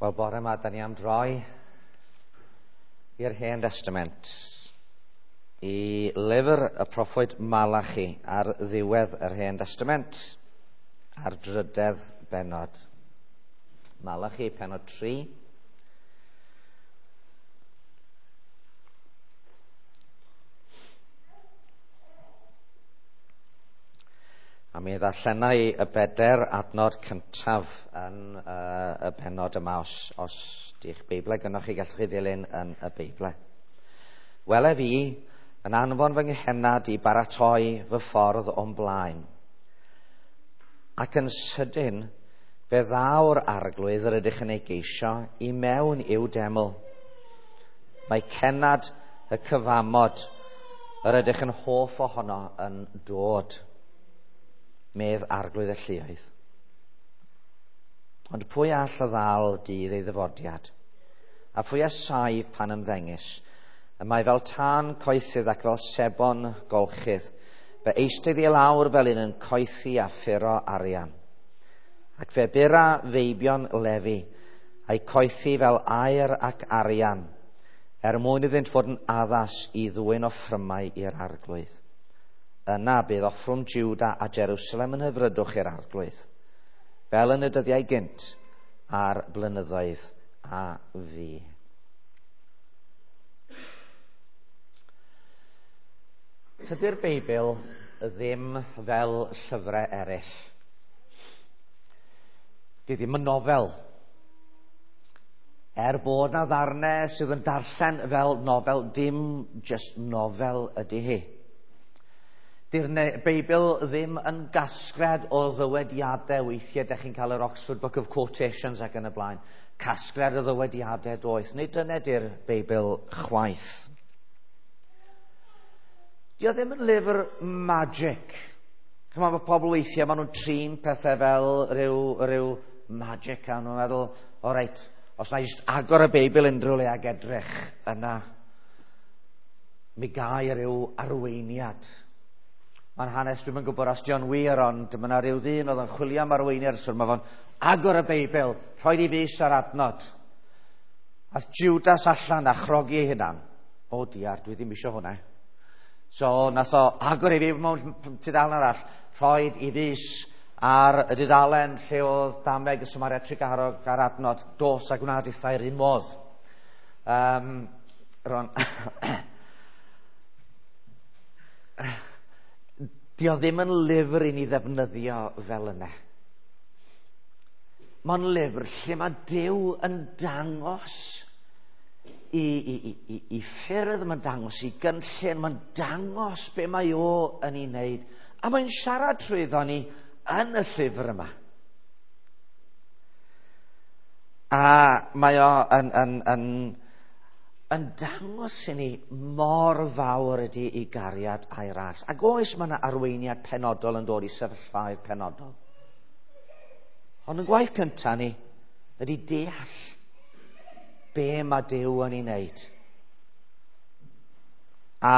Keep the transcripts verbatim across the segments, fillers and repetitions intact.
Wel, bore yma, da ni am droi i'r Hen Testament, i lyfr y proffwyd Malachi ar ddiwedd yr Hen Testament, ar drydedd bennod. Malachi, pennod tri. A mi ddarllenai y beder adnod cyntaf yn uh, y pennod yma, os, os di'ch Beiblau gynnwch chi, gallwch chi ddilyn yn y Beiblau. Wele fi yn anfon fy nghennad i baratoi fy ffordd o'm blaen. Ac yn sydyn, fe ddaw'r arglwydd yr ydych yn ei geisio i mewn i'w deml. Mae cennad y cyfamod yr ydych yn hoff ohono yn dod, medd arglwydd y lluoedd. Ond pwy all y ddal dydd ei ddyfodiad? A phwy a saif pan ymddengys? Y mae fel tân coethydd ac fel sebon golchydd. Fe eistedd i lawr fel un yn coethi a ffuro arian. Ac fe bura feibion Lefi, a'i coethi fel aur ac arian, er mwyn iddynt fod yn addas i ddwyn offrymau i'r arglwydd. Yna bydd offrwm Juda a Jerusalem yn hyfrydwch i'r arglwydd, fel yn y dyddiau gynt a'r blynyddoedd a fu. Tydi'r Beibl ddim fel llyfrau eraill. Di ddim yn nofel. Er bod na ddarnau sydd yn darllen fel nofel, dim just nofel ydy hi. Di'r Beibl ddim yn gasgliad o ddywediadau. Weithiau dych chi'n cael yr Oxford Book of Quotations ac yn y blaen. Casgliad o ddywediadau doeth. Nid dyna di'r Beibl chwaith. Dio ddim yn lyfr magic. Chymod, mae pobl weithiau, maen nhw'n trin pethau fel rhyw, rhyw magic a nhw'n meddwl, o reit, os na i jyst agor y Beibl unrhyw le ag edrych yna, mi gai rhyw arweiniad. Mae'n hanes, dwi'm yn gwybod os dio'n wir, ond mae yna rhyw ddyn oedd yn chwilio am arweiniad, so mae fo'n agor y Beibl, rhoi i fys ar adnod. Ath Judas allan a chrogi ei hunan. O diar, dwi ddim eisiau hwnna. So nath o agor ei fi mewn tudalen arall, rhoi i fys ar y dudalen lle oedd dameg y Samaria Trugarog ar adnod, dos a gwna dithau'r un modd. Um, Ron... Dio ddim yn lyfr i ni ddefnyddio fel yna. Mae'n lyfr lle mae Duw yn dangos i, i, i, i, i ffyrdd, mae'n dangos i gynllun, mae'n dangos be mae o yn ei wneud. A mae'n siarad trwyddo ni yn y llyfr yma. A mae o yn, yn, yn, yn dangos i ni mor fawr ydy ei gariad a'i ras. Ac oes mae yna arweiniad penodol yn dod i sefyllfaoedd penodol. Ond yn gwaith cyntaf ni ydy deall be mae Duw yn ei wneud. A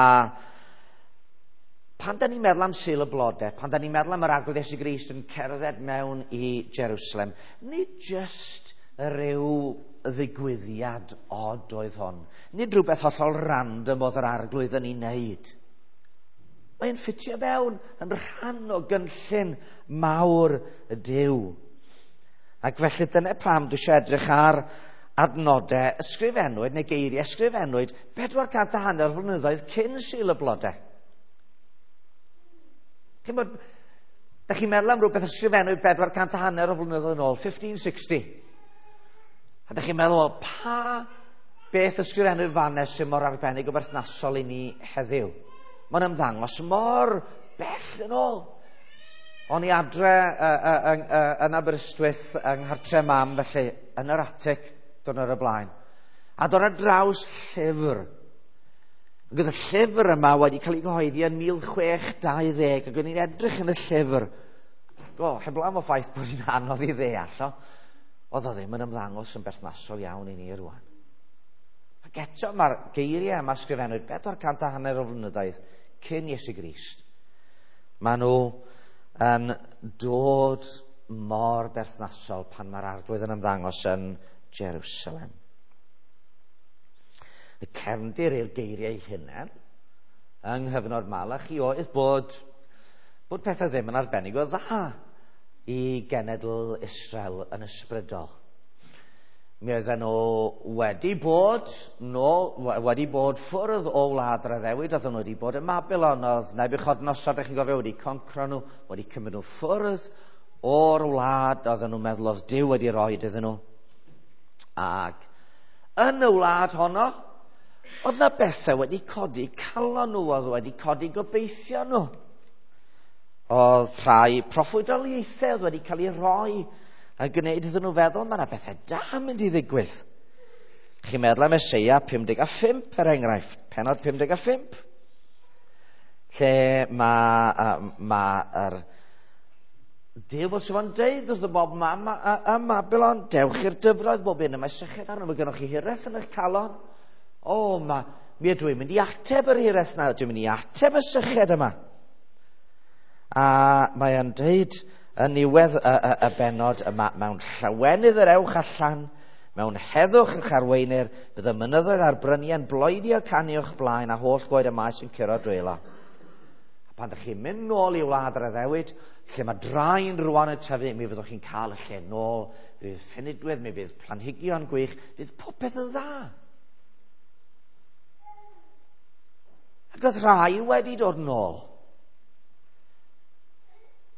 pan da ni'n meddwl am Sul y Blodau, pan da ni'n meddwl am yr Arglwydd Iesu Grist yn cerdded mewn i Jerusalem, nid just rhyw ddigwyddiad od oedd hon. Nid rhywbeth hollol random oedd yr arglwydd yn ei wneud. Mae'n ffitio fewn yn rhan o gynllun mawr y Duw. Ac felly dyna pam dwi eisiau edrych ar adnodau ysgrifennwyd neu geiriau ysgrifennwyd bedwar cant a hanner flynyddoedd cyn Sul y Blodau. Chimod, da chi'n meddwl am rhywbeth ysgrifennwyd bedwar cant a hanner o flynyddoedd yn ôl, fifteen sixty. A da chi'n meddwl, wel, pa beth ysgrifennwyd fannes sy'n mor arbennig o berthnasol i ni heddiw? Mae'n ymddangos mor bell yn ôl. O'n i adre uh, uh, uh, yn Aberystwyth yng nghartre mam, felly, yn yr atig, dwrnod o'r blaen. A dod ar draws llyfr. Ac oedd y llyfr yma wedi cael ei gyhoeddi yn mil chwech dau ddeg, ac o'n i'n edrych yn y llyfr. Go, heblaw am y ffaith bod hi'n anodd i ddeall, o. Oedd o ddim yn ymddangos yn berthnasol iawn i ni rwan. Ac eto mae'r geiriau yma ysgrifennwyd bedwar cant a hanner o flynyddoedd cyn Iesu Grist. Maen nhw yn dod mor berthnasol pan mae'r arglwydd yn ymddangos yn Jerusalem. Y cefndir i'r geiriau hynny yng nghyfnod Malachi oedd bod, bod pethau ddim yn arbennig o dda i genedl Israel yn ysbrydol. Mi oedden nhw wedi bod, nôl, wedi bod ffwrdd o wlad yr addewid, oedden nhw wedi bod ym Mabilon, oedd Nebiwchodynosor, ydych chi'n gofio, wedi concro nhw, wedi cymryd nhw ffwrdd o'r wlad, oedden nhw'n meddwl oedd Duw wedi rhoi iddyn nhw. Ac yn y wlad honno, oedd na bethau wedi codi calon nhw, oedd wedi codi gobeithio nhw. Oedd rhai proffwydoliaethau oedd wedi cael eu rhoi a gwneud iddyn nhw feddwl mae yna bethau da mynd i ddigwydd. Chi'n meddwl am Eseia pum deg a phump er enghraifft, pennod pum deg a phump, lle mae ma yr Duw fel sydd o'n deud wrth y bob mam ym Mabilon, dewch i'r dyfroedd bob un, y mae syched arno, mae gennych chi hiraeth yn eich calon. O, ma, mi ydw i'n mynd i ateb yr hiraeth na, dwi'n mynd i ateb y syched yma. A mae o'n deud yn niwedd y, y, y bennod yma, mewn llawenydd yr ewch allan, mewn heddwch eich arweinir, bydd y mynyddoedd a'r bryniau'n bloeddio canu o'ch blaen a holl goed y maes yn curo dwylo. A pan ydych chi'n mynd nôl i wlad yr addewid, lle mae draen rwan yn tyfu, mi fyddwch chi'n cael y lle nôl, fydd ffynidwydd, mi fydd planhigion gwych, fydd popeth yn dda. Ac oedd rhai wedi dod nôl.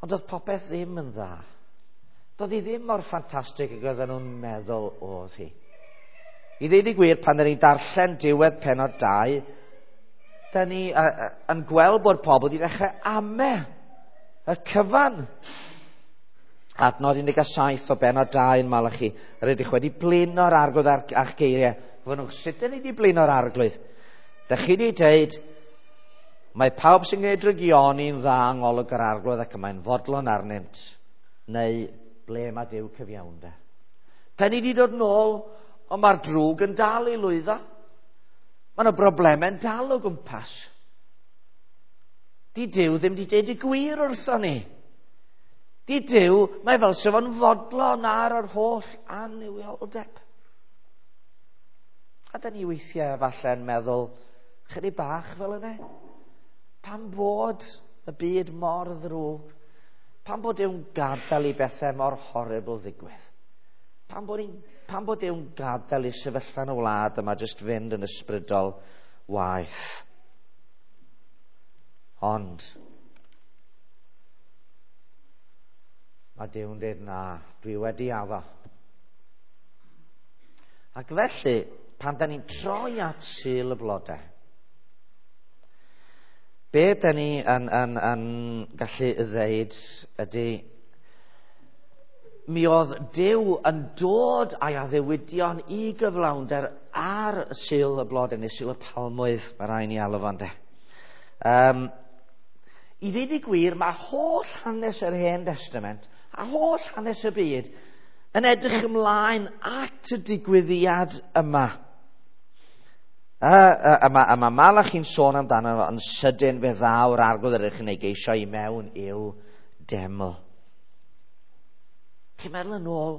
Ond oedd popeth ddim yn dda. Doedd hi ddim mor ffantastig ag oedden nhw'n meddwl oedd hi. I ddeud y gwir, pan dyn ni'n darllen diwedd pennod dau, dyn ni uh, uh, yn gweld bod pobl wedi dechrau ame y cyfan. Adnod un deg saith o bennod dau yn Malachi, yr ydych wedi blino'r arglwydd ar, a'ch geiriau. Gofynnwch, sut dyn ni wedi blino'r arglwydd? Dych chi wedi deud, mae pawb sy'n gwneud drygioni'n dda yng ngolwg yr arglwydd ac y mae'n fodlon arnynt, neu ble mae Duw cyfiawnder. Da ni wedi dod nôl, ond mae'r drwg yn dal i lwyddo. Mae yna broblemau'n dal o gwmpas. Di Duw ddim wedi deud y gwir wrthon ni. Di Duw, mae fel sef o'n fodlon ar yr holl annuwioldeb. A da ni weithiau falle'n meddwl, chydig bach fel yna. Pam bod y byd mor ddrwg? Pam bod Duw'n gadael i bethau mor horrible ddigwydd? Pam bod, pam bod Duw'n gadael i sefyllfa yn y wlad yma jyst fynd yn ysbrydol waeth? Ond mae Duw'n dweud na, dwi wedi addo. Ac felly, pan da ni'n troi at Sul y Blodau, be da ni yn, yn, yn gallu ddeud ydy, mi oedd Duw yn dod a'i addewidion i gyflawnder ar Sul y Blodau, neu Sul y Palmwydd, mae rhaid ni alw fo'n de. Um, I ddweud y gwir, mae holl hanes yr Hen Testament a holl hanes y byd yn edrych ymlaen at y digwyddiad yma. A, a, a, a, a mae Malachi'n sôn amdano fo yn sydyn fe ddaw'r arglwydd yr ydych chi'n ei geisio i mewn i'w deml. Chi'n meddwl yn ôl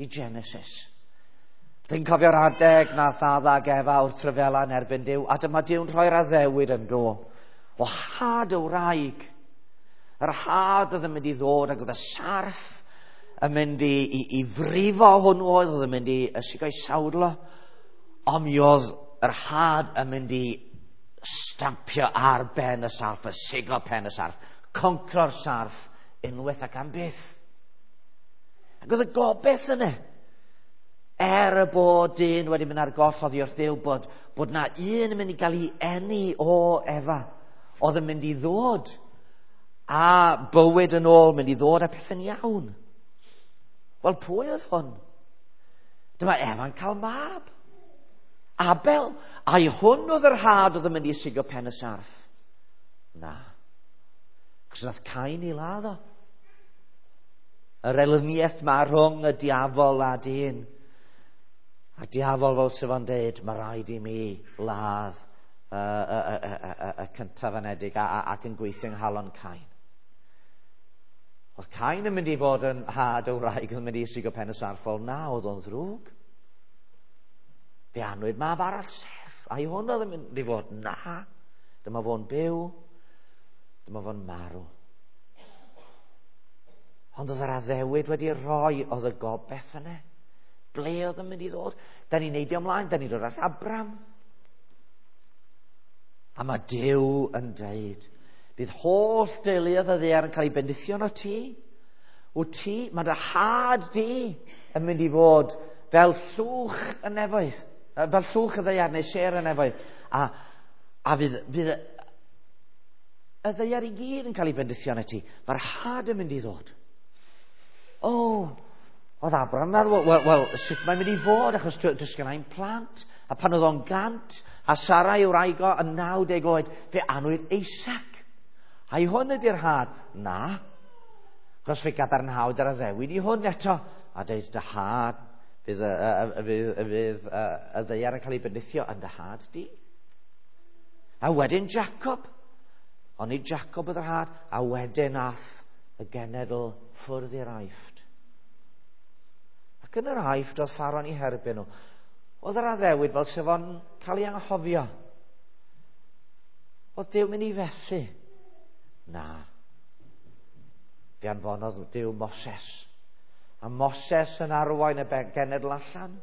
i Genesis. Dwi'n cofio'r adeg nath Adda ac Efa wrth ryfela yn erbyn Duw, a dyma Duw'n rhoi'r addewid yn do. O had y wraig. Yr had oedd yn mynd i ddod ac oedd y sarff yn mynd i, i, i frifo hwnnw oedd, oedd yn mynd i ysigo'i sawdlo. Ond mi oedd yr had yn mynd i stampio ar ben y sarff, y siglo pen y sarff, concro'r sarff unwaith ac am byth. Ac oedd y gobaith yna. Er y bod dyn wedi mynd ar goll oddi wrth Dduw, bod, bod na un yn mynd i gael ei eni o Efa, oedd yn mynd i ddod a bywyd yn ôl, mynd i ddod a pethau'n iawn. Wel, pwy oedd hwn? Dyma Efa'n cael mab. Abel, a'i hwn oedd yr had oedd yn mynd i sigo pen y sarff? Na. Cos nath Cain i ladd o. Yr elyniaeth ma rhwng y diafol a dyn. A diafol fel sydd fo'n deud, mae rhaid i mi ladd y, y, y, y, y, y cyntaf anedig a, a, ac yn gweithio yng nghalon Cain. Oedd Cain yn mynd i fod yn had o wraig yn mynd i sigo pen y sarff, wel na, oedd o'n ddrwg. Fe anwyd mab arall, Seth. A i hwn oedd yn mynd i fod? Na. Dyma fo'n byw. Dyma fo'n marw. Ond oedd yr addewid wedi rhoi, oedd y gobaith yna. Ble oedd yn mynd i ddod? Da ni'n neidio ymlaen, da ni'n dod at Abram. A mae Duw yn deud, bydd holl deuluoedd y ddaear yn cael ei bendithio o ti. Wyt ti, mae dy had di yn mynd i fod fel llwch y nefoedd, fel llwch y ddaear neu sêr y nefoedd. A, a fydd, fydd y ddaear i gyd yn cael ei bendithio yn ti. Mae'r had yn mynd i ddod. O, oh, oedd Abraham yn meddwl, wel, wel, sut mae'n mynd i fod, achos does gen i'm plant. A pan oedd o'n gant, a Sara i'w wraig o yn naw deg oed, fe anwyd Isaac. A i hwn ydy'r had? Na. Achos fe gadarnhawyd yr addewid i hwn eto. A deud, dy had, fydd y, y, fydd, fydd y, y ddaear yn cael ei bendithio yn dy had di. A wedyn Jacob. Ond nid Jacob oedd yr had. A wedyn ath y genedl ffwrdd i'r Aifft. Ac yn yr Aifft oedd Ffaro'n eu herbyn nhw. Oedd yr addewid fel sef o'n cael ei anghofio. Oedd Duw mynd i fethu? Na. Fe anfonodd Duw Moses. A Moses yn arwain y genedl allan.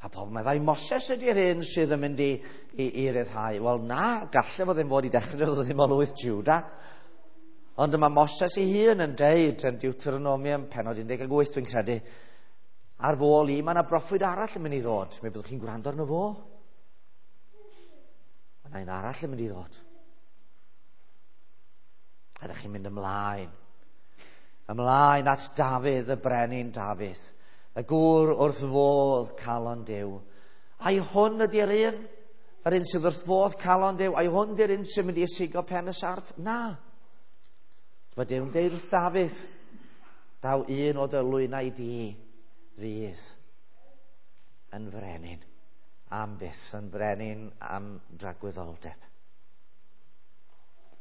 A pobl meddai, Moses ydy'r un sydd yn mynd i, i, i ryddhau. Wel na, gallai fo ddim fod i ddechrau, oedd ddim o lwyth Juda. Ond yma Moses ei hun yn deud yn Deuteronomium pennod un deg wyth dwi'n credu, ar fôl i, mae yna broffwyd arall yn mynd i ddod. Mi byddwch chi'n gwrando arno fo. Mae yna un arall yn mynd i ddod. A ydych chi'n mynd ymlaen. Ymlaen at Dafydd, y brenin Dafydd. Y gŵr wrth fodd calon Duw. Ai hwn ydy'r un? Yr un sydd wrth fodd calon Duw? Ai hwn ydy'r un sy'n mynd i ysigo pen y sarff? Na. Mae Duw'n deud wrth Dafydd, daw un o dy lwynau di fydd yn frenin am byth, yn frenin am dragwyddoldeb.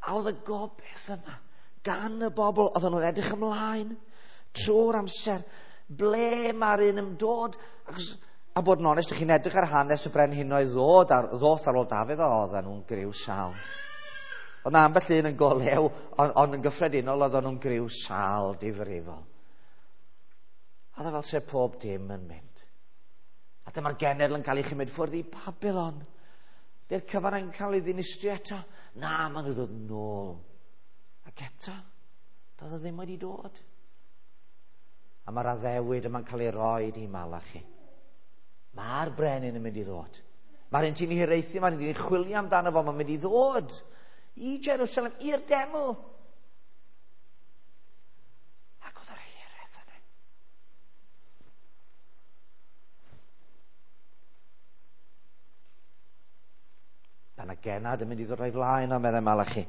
A oedd y gobaith yma gan y bobl, oedden nhw'n edrych ymlaen trwy'r amser, ble mae'r un yn dod? Achos, a bod yn onest, ych chi'n edrych ar hanes y brenhinoedd ddod ar, ddoth ar ôl Dafydd, oedden nhw'n griw sal. Oedd na ambell un yn golew, ond on yn gyffredinol oedden nhw'n griw sal difrifol. A oedd fel se pob dim yn mynd. A dyma'r genedl yn cael ei chymryd ffwrdd i Babylon. Dy'r cyfan yn cael ei ddinistrio eto. Na, maen nhw'n dod nôl. Ac eto, doedd o ddim wedi dod. A mae'r addewid yma'n cael ei roed i Malachi. Mae'r brenin yn mynd i ddod. Mae'r un ti'n hiraethu, mae'r un ti'n chwilio amdano fo, mae'n mynd i ddod i Jerusalem, i'r deml. Ac oedd yr hiraeth yna. Pan y genad yn mynd i ddod o'i flaen o, meddai Malachi.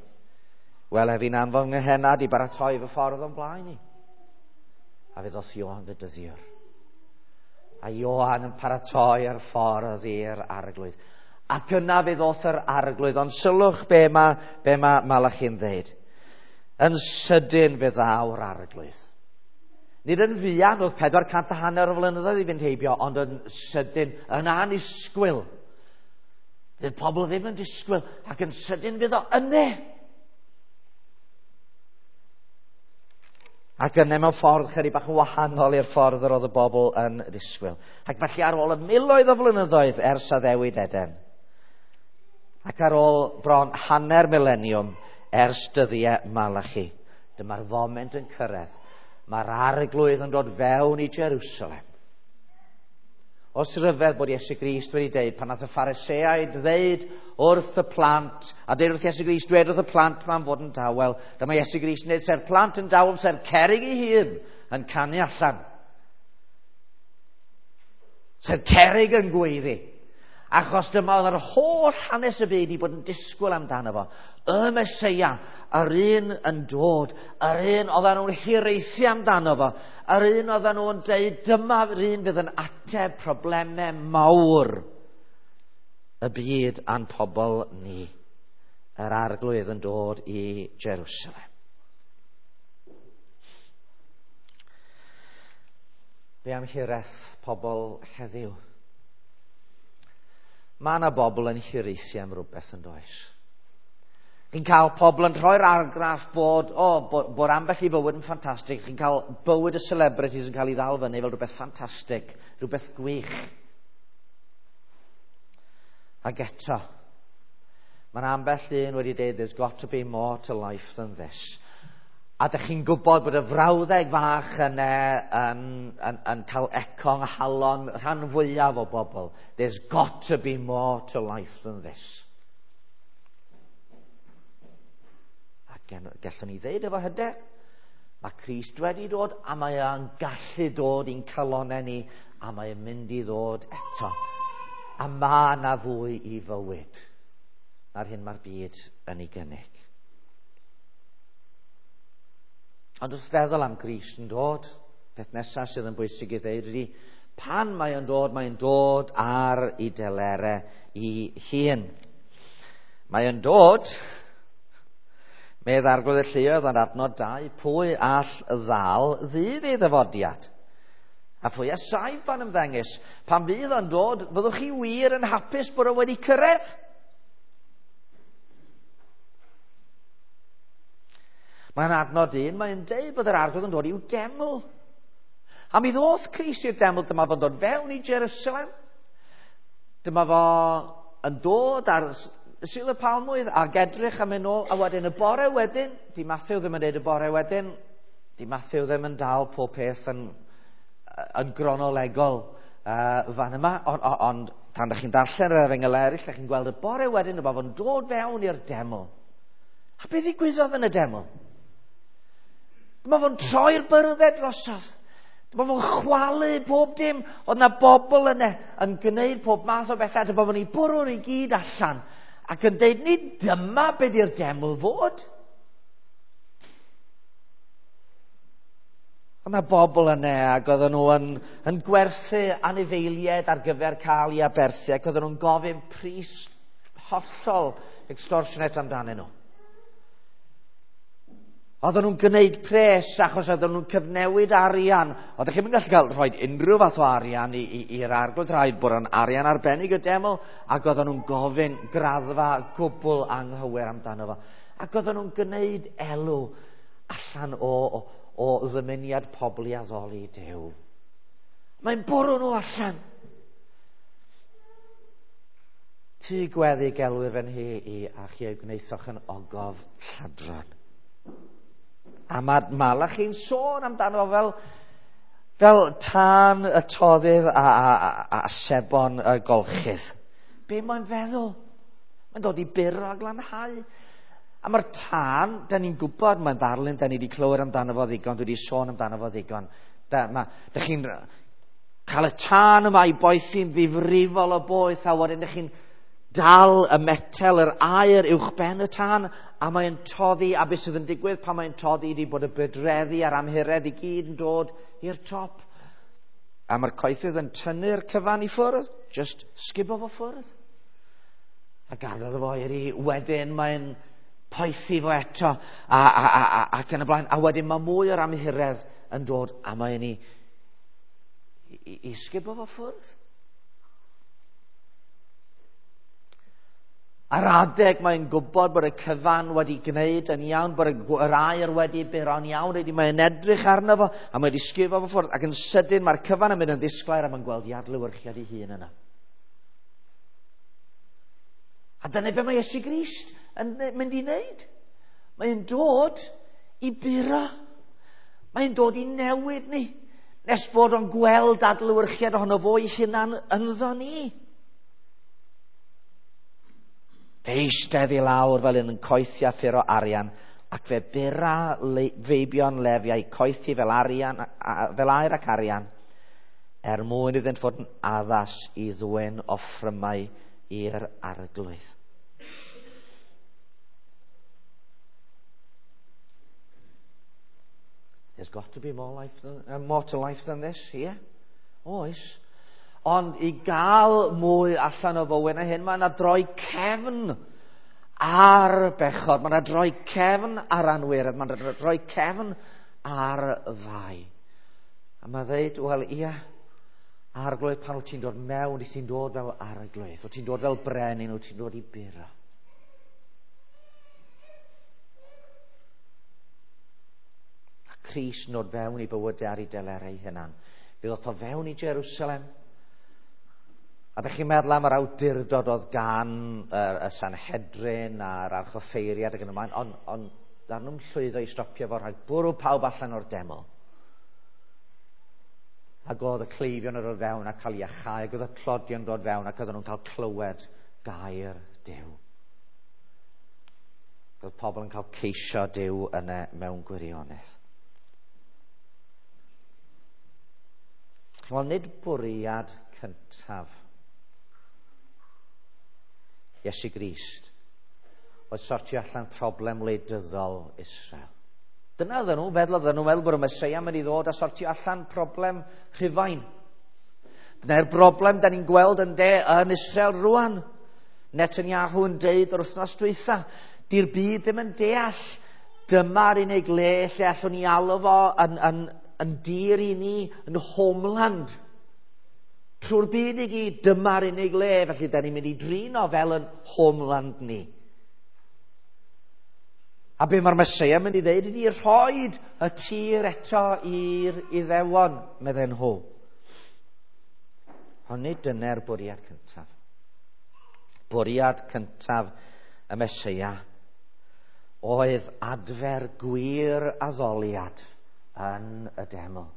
Wel, ef i'n anfon nghenad i baratoi fy ffordd o'n blaen i. A fe ddoth Ioan Fedyddiwr. A Ioan yn paratoi ar ffordd i'r arglwydd. Ac yna fe ddoth yr arglwydd. Ond sylwch be mae be ma Malachi'n ddeud. Yn sydyn fe ddaw'r arglwydd. Nid yn fuan, oedd pedwar cant a hanner o flynyddoedd i fynd heibio, ond yn sydyn, yn annisgwyl. Fydd pobl ddim yn disgwyl, ac yn sydyn fydd o yne. Ac yna mewn ffordd chydig bach yn wahanol i'r ffordd yr oedd y bobl yn disgwyl. Ac felly ar ôl y miloedd o flynyddoedd ers addewid Eden, ac ar ôl bron hanner mileniwm ers dyddiau Malachi, dyma'r foment yn cyrraedd. Mae'r arglwydd yn dod fewn i Jerusalem. Os ryfedd bod Iesu Grist wedi deud, pan nath y Phariseaid ddeud wrth y plant, a deud wrth Iesu Grist, dweud wrth y plant ma'n fod yn dawel, dyma Iesu Grist yn deud, se'r plant yn dawel, se'r cerrig ei hun yn canu allan. Se'r cerrig yn gweiddi. Achos dyma oedd yr holl hanes y byd i bod yn disgwyl amdano fo. Y Meseia, yr un yn dod, yr un oedden nhw'n hiraethu amdano fo, yr un oedden nhw'n deud, dyma'r un fydd yn ateb problemau mawr y byd a'n pobl ni. Yr arglwydd yn dod i Jerusalem. Be am hiraeth pobl heddiw? Mae yna bobl yn hiraethu am rhywbeth yn does. Chi'n cael pobl yn rhoi'r argraff bod, oh, bod, bod ambell i fywyd yn ffantastig. Chi'n cael bywyd y celebrities yn cael ei ddal fyny fel rhywbeth ffantastig, rhywbeth gwych. Ac eto, mae'n ambell un wedi dweud, there's got to be more to life than this. A dych chi'n gwybod bod y frawddeg fach yna yn, yn, yn cael eco yng nghalon rhan fwyaf o bobl. There's got to be more to life than this. A gallwn ni ddeud efo hyder, mae Crist wedi dod a mae o'n gallu dod i'n calonau ni a mae o'n mynd i ddod eto. A mae yna fwy i fywyd na'r hyn mae'r byd yn ei gynnig. Ond wrth feddwl am Grist yn dod, peth nesaf sydd yn bwysig i ddeud ydy, pan mae o'n dod, mae'n dod ar ei delere ei hun. Mae o'n dod, medd Arglwydd y Lluoedd yn adnod dau, pwy all ddal ddydd ei ddyfodiad? A phwy a saif pan ymddengys? Pan fydd o'n dod, fyddwch chi wir yn hapus bod o wedi cyrraedd? Mae'n adnod un, mae'n deud bod yr Arglwydd yn dod i'w deml. A mi ddoth Crist i'r deml, dyma fo'n dod fewn i Jerusalem. Dyma fo yn dod ar Sul y Palmwydd ac edrych am yn ôl, a wedyn y bore wedyn, di Matthew ddim yn deud y bore wedyn, di Matthew ddim yn dal pob peth yn, yn gronolegol uh, fan yma, ond on, on, tan ydych chi'n darllen yr efengyl eraill, ydych chi'n gweld y bore wedyn, dyma fo'n dod fewn i'r deml. A beth ddigwyddodd yn y deml? Dyma fo'n troi'r byrddau drosodd. Dyma fo'n chwalu pob dim. Oedd na bobl yna yn gwneud pob math o bethau. Dyma fo'n ei bwrw nhw i gyd allan. Ac yn deud, nid dyma be di'r deml fod. Oedd na bobl yna ac oedden nhw yn, yn gwerthu anifeiliaid ar gyfer cael ei aberthu. Ac oedden nhw'n gofyn pris hollol extortionate amdanyn nhw. Oedden nhw'n gwneud pres achos oedden nhw'n cyfnewid arian. Oeddech chi'n gallu cael rhoi unrhyw fath o arian i'r arglwydd, rhaid bod yn arian arbennig y deml, ac oedden nhw'n gofyn graddfa gwbl anghywir amdano fo. Ac oedden nhw'n gwneud elw allan o, o, o ddymuniad pobl i addoli Duw. Mae'n bwrw nhw allan. Tŷ gweddi gelwir fy nhi i a chi ei gwnaethoch yn ogof lladron. A mae Malachi'n sôn amdano fel, fel tân y toddydd a, a, a, a sebon y golchydd. Be mae'n feddwl? Mae'n dod i buro a glanhau. A mae'r tân, da ni'n gwybod, mae'n ddarlun, da ni wedi clywed amdano fo ddigon, dwi wedi sôn amdano fo ddigon. Da, ma, da chi'n cael y tân yma i boethi'n ddifrifol o boeth, a wedyn da chi'n dal y metel, yr aer uwchben y tân, a mae'n toddi, a beth sydd yn digwydd pan mae'n toddi ydy bod y bydreddi a'r amhuredd i gyd yn dod i'r top. A mae'r coethydd yn tynnu'r cyfan i ffwrdd, just sgubo fo ffwrdd. A gadael fo i'r i, wedyn mae'n poethi fo eto, a, a, a, a, ac yn y blaen. A wedyn mae mwy o'r amhuredd yn dod, a mae'n i, i, i sgubo fo ffwrdd. Ar adeg mae'n gwybod bod y cyfan wedi gwneud yn iawn, bod yr aer wedi buro'n iawn, wedi mae'n edrych arno fo, a mae wedi sgifo fo ffwrdd, ac yn sydyn mae'r cyfan yn mynd yn ddisglair a mae'n gweld i adlewyrchiad ei hun yna. A dyna be mae Iesu Grist yn mynd i wneud. Mae'n dod i buro. Mae'n dod i newid ni, nes bod o'n gweld adlewyrchiad ohono fo ei hunan ynddo ni. Fe eistedd i lawr fel un yn coethi a ffuro arian, ac fe bura le, feibion Lefi a'i coethi fel, arian, a, fel aer ac arian, er mwyn iddynt fod yn addas i ddwyn offrymau i'r Arglwydd. There's got to be more, life than, uh, more to life than this here. Oes. Ond i gael mwy allan o fywyd na hyn, mae yna droi cefn ar bechod, mae yna droi cefn ar anwiredd, mae yna droi cefn ar fai. A mae dweud, wel ia, Arglwydd, pan wyt ti'n dod mewn, wyt ti'n dod fel arglwydd, wyt ti'n dod fel brenin, wyt ti'n dod i buro. A Crist yn dod fewn i bywydau ar ei delerau ei hunan. Fe ddoth o fewn i Jerusalem. A ddech chi'n meddwl am yr awdurdod oedd gan y, y Sanhedrin a'r archoffeiriad ac yn y blaen, ond on, ddaru nhw'n llwyddo i stopio fo rhag bwrw pawb allan o'r deml. Ac oedd y cleifion yn dod fewn a cael iachau, ac oedd y tlodion dod fewn ac oedden nhw'n cael clywed gair Duw. Ac oedd pobl yn cael ceisio Duw yna mewn gwirionedd. Wel, nid bwriad cyntaf Iesu Grist oedd sortio allan problem wleidyddol Israel. Dyna oedden nhw, feddwl oedden nhw, meddwl bod y Meseia mynd i ddod a sortio allan problem Rhufain. Dyna'r broblem da ni'n gweld yn de yn Israel rwan. Netanyahu yn deud yr wythnos dwytha, di'r byd ddim yn deall. Dyma'r unig le lle allwn ni alw fo yn, yn, yn dir i ni, yn homeland. Trwy'r byd i gyd, dyma'r unig le, felly da ni'n mynd i drin o fel yn homeland ni. A be mae'r Meseia mynd i ddeud ydi rhoid y tir eto i'r Iddewon, medden nhw. Ond nid dyna'r bwriad cyntaf. Bwriad cyntaf y Meseia oedd adfer gwir addoliad yn y deml.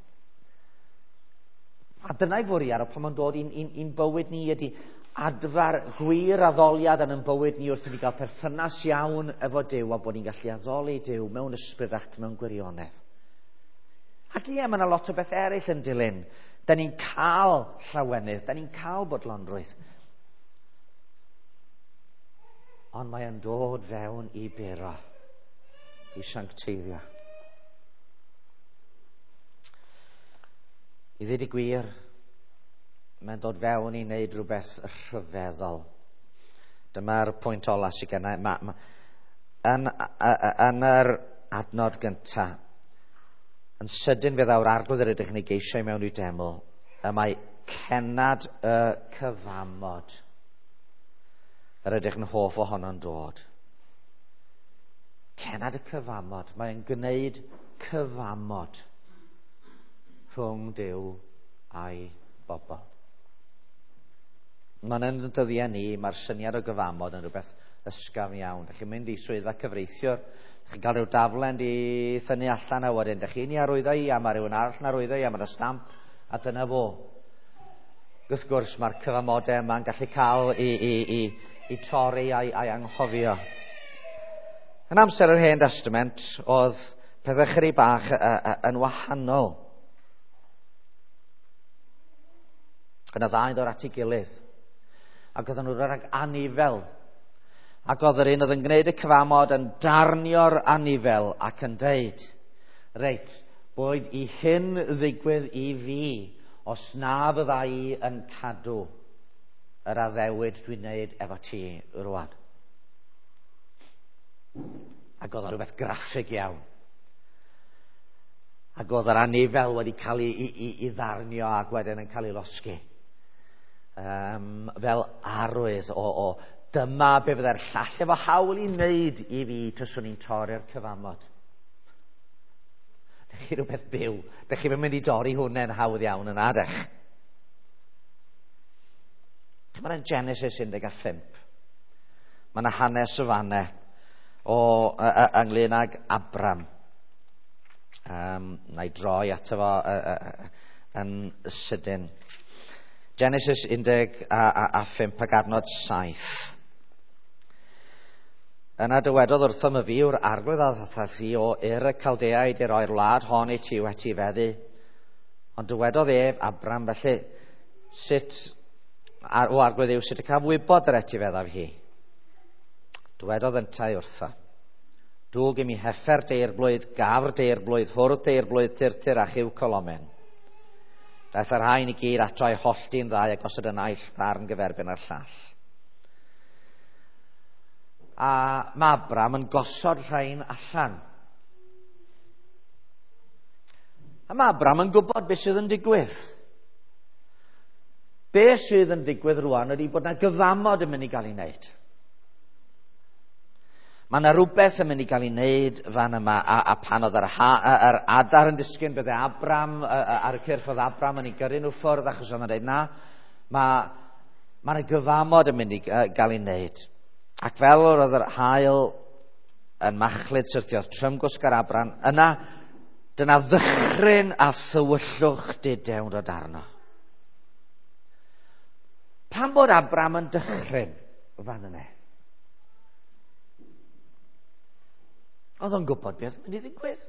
A dyna'i fwriad o pan mae'n dod i'n, i'n, i'n bywyd ni ydy adfer gwir addoliad yn ein bywyd ni wrth i ni gael perthynas iawn efo Duw a bod ni'n gallu addoli Duw mewn ysbryd ac mewn gwirionedd. Ac ie, mae yna lot o beth eraill yn dilyn. Da ni'n cael llawenydd, da ni'n cael bodlonrwydd. Ond mae yn dod fewn i buro, i sancteiddio. I ddweud y gwir, mae'n dod fewn i wneud rhywbeth rhyfeddol. Dyma'r pwynt ola sydd genna i. Ma, ma, yn, yn yr adnod gyntaf, yn sydyn fe ddaw'r arglwydd yr ydych yn ei geisio i mewn i'w deml, y mae cenad y cyfamod yr ydych yn hoff ohono'n dod. Cenad y cyfamod, mae'n gwneud cyfamod rhwng Duw a'i bobl. Mae'n yn dyddiau ni, mae'r syniad o gyfamod yn rhywbeth ysgafn iawn. Dych chi'n mynd i swyddfa cyfreithiwr, dych chi'n cael rhyw daflen di thynnu allan a wedyn, dych chi'n i arwyddo i, a mae rhywun arall yn arwyddo i, a mae'r stamp, a dyna fo. Wrth gwrs, mae'r cyfamodau yma'n gallu cael i, i, i, i torri a'i, a'i anghofio. Yn amser yr Hen Testament, oedd pethau chydig bach yn wahanol. Yna ddau ddod at ei gilydd. Ac oedden nhw'n rhag anifel. Ac oedd yr un oedd yn gwneud y cyfamod yn darnio'r anifel ac yn deud, reit, boed i hyn ddigwydd i fi, os na fydda i yn cadw yr addewid dwi'n gwneud efo ti rwan. Ac oedd o'n rhywbeth graffig iawn. Ac oedd yr anifel wedi cael ei, ei, ei, ei ddarnio ac wedyn yn cael ei losgi. Um, fel arwydd o, o dyma be fydde'r llall efo hawl i wneud i fi tyswn i'n torri'r cyfamod. Dych chi rhywbeth byw. Dych chi'n mynd i dorri hwnna'n hawdd iawn yna, dych. Mae'n Genesis un deg pump. Mae yna hanes y fanne o, uh, uh, ynglyn ag Abram. Um, na i droi ato fo uh, uh, yn sydyn. Genesis un deg pump ac adnod saith. Yna dywedodd wrthym y fi yw'r arglwydd a ddaeth thi o Ur y Caldeaid i roi'r wlad hon i ti wedi feddu. Ond dywedodd ef, Abram, felly, sut, o arglwydd yw, sut y caf wybod yr etifeddaf hi? Dywedodd yntau wrtho. Dwg i mi heffer deirblwydd, gafr deirblwydd, hwrdd deirblwydd, tirtir a chyw colomen. Daeth yr rhain i gyd ato i hollti'n ddau a gosod y naill ddarn gyferbyn â'r llall. A mae Abram yn gosod rhain allan. A mae Abram yn gwybod beth sydd yn digwydd. Be sydd yn digwydd rwan ydy bod yna gyfamod yn mynd i gael ei wneud. Mae yna rhywbeth yn mynd i gael ei wneud fan yma, a, a pan oedd yr, ha, yr adar yn disgyn, bydde Abram, ar y cyrff oedd Abram yn ei gyrru nhw ffwrdd, achos oedd yn dweud na, mae, mae yna gyfamod yn mynd i gael ei wneud. Ac fel oedd yr haul yn machlud syrthiodd trymgwsg ar Abram, yna dyna ddychryn a thywyllwch dudew dod arno. Pam bod Abram yn dychryn fan yna? Oedd o'n gwybod beth yn mynd i ddigwydd.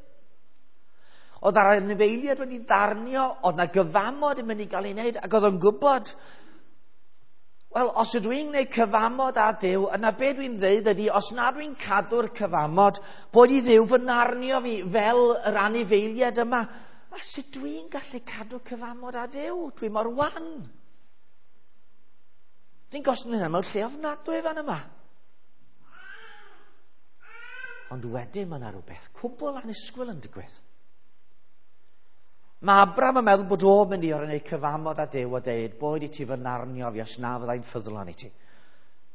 Oedd yr anifeiliaid wedi ddarnio, oedd na gyfamod yn mynd i gael ei wneud, ac oedd o'n gwybod, wel, os ydw i'n gwneud cyfamod â Duw, yna be dwi'n dweud ydy, os na dwi'n cadw'r cyfamod, bod i Dduw fy narnio fi fel yr anifeiliaid yma. A sut dwi'n gallu cadw cyfamod â Duw? Dwi mor wan. Dwi'n gosod hynna mewn lle ofnadwy fan yma. Ond wedyn mae yna rhywbeth cwbl annisgwyl yn digwydd. Mae Abram yn meddwl bod o'n mynd i orau wneud cyfamod â Duw a deud, boed i ti fy narnio fi os na fyddai'n ffyddlon i ti.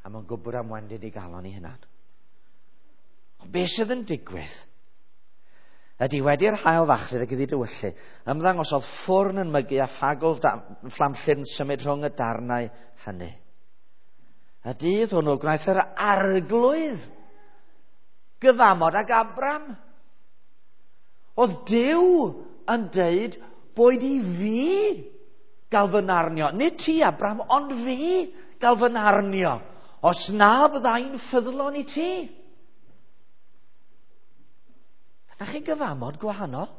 A mae'n gwybod am wendid i galon i hunan. Ond beth sydd yn digwydd ydy wedi'r haul fachlud ac iddi dywyllu, ymddangosodd ffwrn yn mygu a ffagl fflamllyd yn symud rhwng y darnau hynny. Y dydd hwnnw gwnaeth yr arglwydd gyfamod ag Abram. Oedd Duw yn deud, boed i fi gael fy narnio. Nid ti, Abram, ond fi gael fy narnio. Os na byddai'n ffyddlon i ti. Dyna chi gyfamod gwahanol.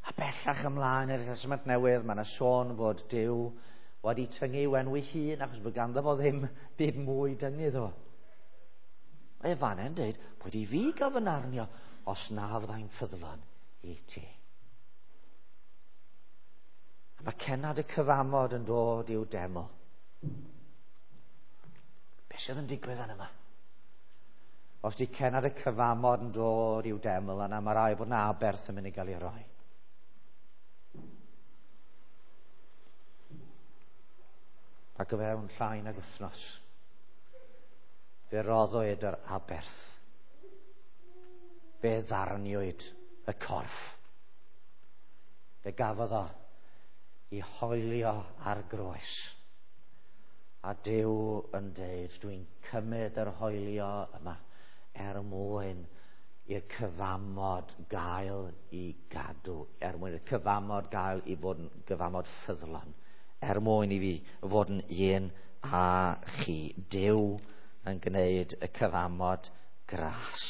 A bellach ymlaen i'r Testament Newydd, mae yna sôn fod Duw wedi tyngu i'w enw ei hun, achos bod ganddo fo ddim byd mwy dyngu iddo fo. Mae e fan yn dweud, bod i fi gael fy narnio os na fyddai'n ffyddlon i ti. A mae cennad y cyfamod yn dod i'w deml. Be sydd yn digwydd yn yma? Os di cennad y cyfamod yn dod i'w deml, yna mae rai bod na aberth yn mynd i gael ei roi. Ac o fewn llai nag wythnos, fe roddwyd yr aberth. Fe ddarniwyd y corff. Fe gafodd o i hoelio ar groes. A Duw yn deud, dwi'n cymryd yr hoelio yma er mwyn i'r cyfamod gael i gadw, er mwyn i'r cyfamod gael i fod yn gyfamod ffyddlon, er mwyn i fi fod yn un a chi. Duw yn gwneud y cyfamod gras.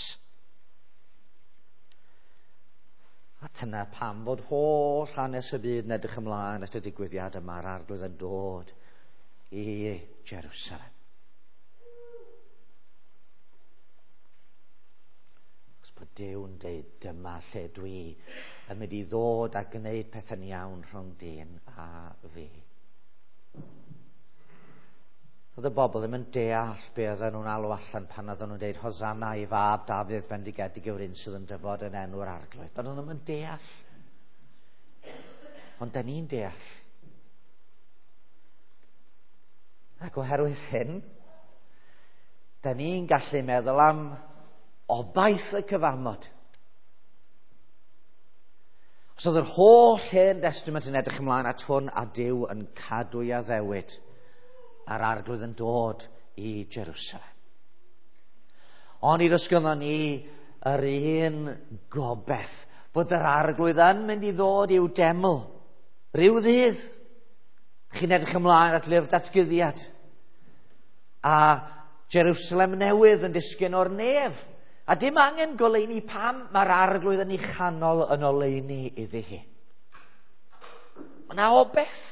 A dyna pam fod holl hanes y byd yn edrych ymlaen at y digwyddiad yma, a'r arglwydd yn dod i Jerusalem. Os bod Duw yn deud, dyma lle dwi yn mynd i ddod a gwneud pethau'n iawn rhwng dyn a fi. Oedd y bobl ddim yn deall be oedden nhw'n alw allan pan oedden nhw'n deud Hosanna i fab Dafydd bendigedig yw'r un sydd yn dyfod yn enw'r arglwydd. Doedden nhw ddim yn deall. Ond da ni'n deall. Ac oherwydd hyn, da ni'n gallu meddwl am obaith y cyfamod. Os oedd yr holl Hen Testament yn edrych ymlaen at hwn, a Duw yn cadw'i addewid, a'r arglwydd yn dod i Jerusalem. Ond i ddysgynnon ni yr un gobaith bod yr arglwydd yn mynd i ddod i'w deml rhyw ddydd. Chi'n edrych ymlaen at lyfr datguddiad a Jerusalem newydd yn disgyn o'r nef. A dim angen goleuni pam mae'r arglwydd yn ei chanol yn oleuni iddi hi. Mae yna obaith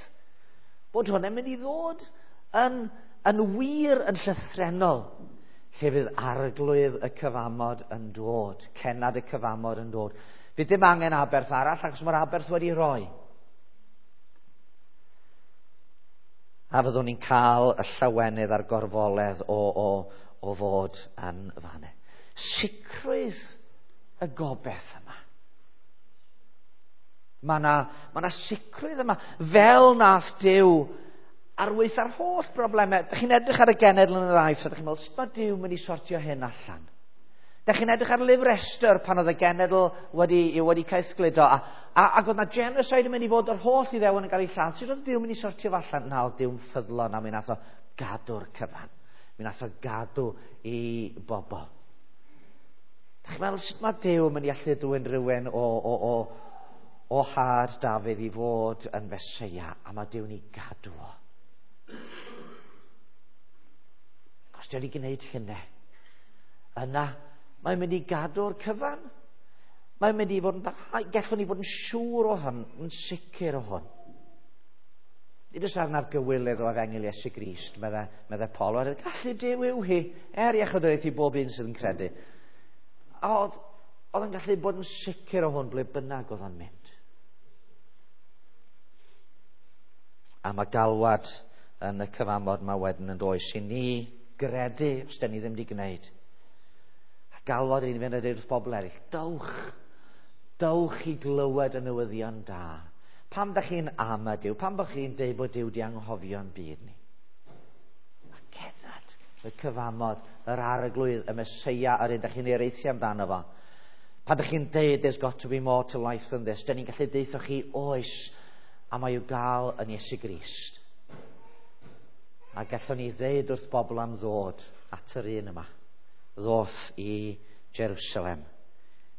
bod hwn yn mynd i ddod yn, yn wir yn llythrennol, lle fydd arglwydd y cyfamod yn dod, cennad y cyfamod yn dod. Fydd dim angen aberth arall, achos mae'r aberth wedi roi. A fyddwn ni'n cael y llawenydd a'r gorfoledd o, o, o fod yn fanne. Sicrwydd y gobaith yma. Mae yna ma na sicrwydd yma. Fel nath Duw ar weitha'r holl broblemau. Dych chi'n edrych ar y genedl yn yr Aifft a dych chi'n meddwl, sut mae Duw mynd i sortio hyn allan? Dych chi'n edrych ar lyfr Esther pan oedd y genedl wedi, wedi caethgludo a, a, ac oedd na genocide yn mynd i fod yr holl Iddewon yn cael ei lladd. Sut oedd Duw mynd i sortio fo allan? Na, oedd Duw'n ffyddlon a mi nath o gadw'r cyfan. Mi nath o gadw i bobl. Dych chi'n meddwl sut mae Duw yn mynd i allu dwyn rhywun o, o, o, o had Dafydd i fod yn Feseia, a mae Duw'n ei gadw o. Os Duw wedi gwneud hynny, yna mae'n mynd i gadw'r cyfan. Mae'n mynd i fod yn barhau. Gallwn ni fod yn siŵr o hwn, yn sicr o hwn. Nid oes arnaf gywilydd o efengyl Iesu Grist, medde, medde Paul. Oherwydd gallu Duw yw hi, er iechydwriaeth i bob un sydd yn credu. A oedd, oedd yn gallu bod yn sicr o hwn ble bynnag oedd o'n mynd. A mae galwad yn y cyfamod yma wedyn yn does i ni gredu, os da ni ddim wedi gwneud. A galwad i ni fynd a dweud wrth bobl eraill, dowch, dowch i glywed y newyddion da. Pam da chi'n am y Duw? Pam bod chi'n deud bod Duw di anghofio'n byd ni? A cerdded y cyfamod, yr arglwydd, y Meseia, yr un da chi'n hiraethu amdano fo. Pan da chi'n deud there's got to be more to life than this, da ni'n gallu deutho chi oes, a mae i'w gael yn Iesu Grist. A gallwn ni ddeud wrth bobl am ddod at yr un yma, ddoth i Jerusalem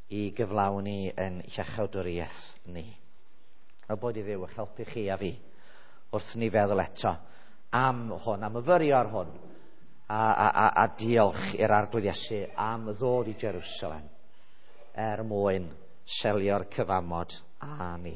i gyflawni yn iachawdwriaeth ni. A bod i Dduw eich helpu chi a fi wrth ni feddwl eto am hwn, am myfyrio ar hwn, a, a, a, a diolch i'r Arglwydd Iesu am ddod i Jerusalem er mwyn selio'r cyfamod â ni.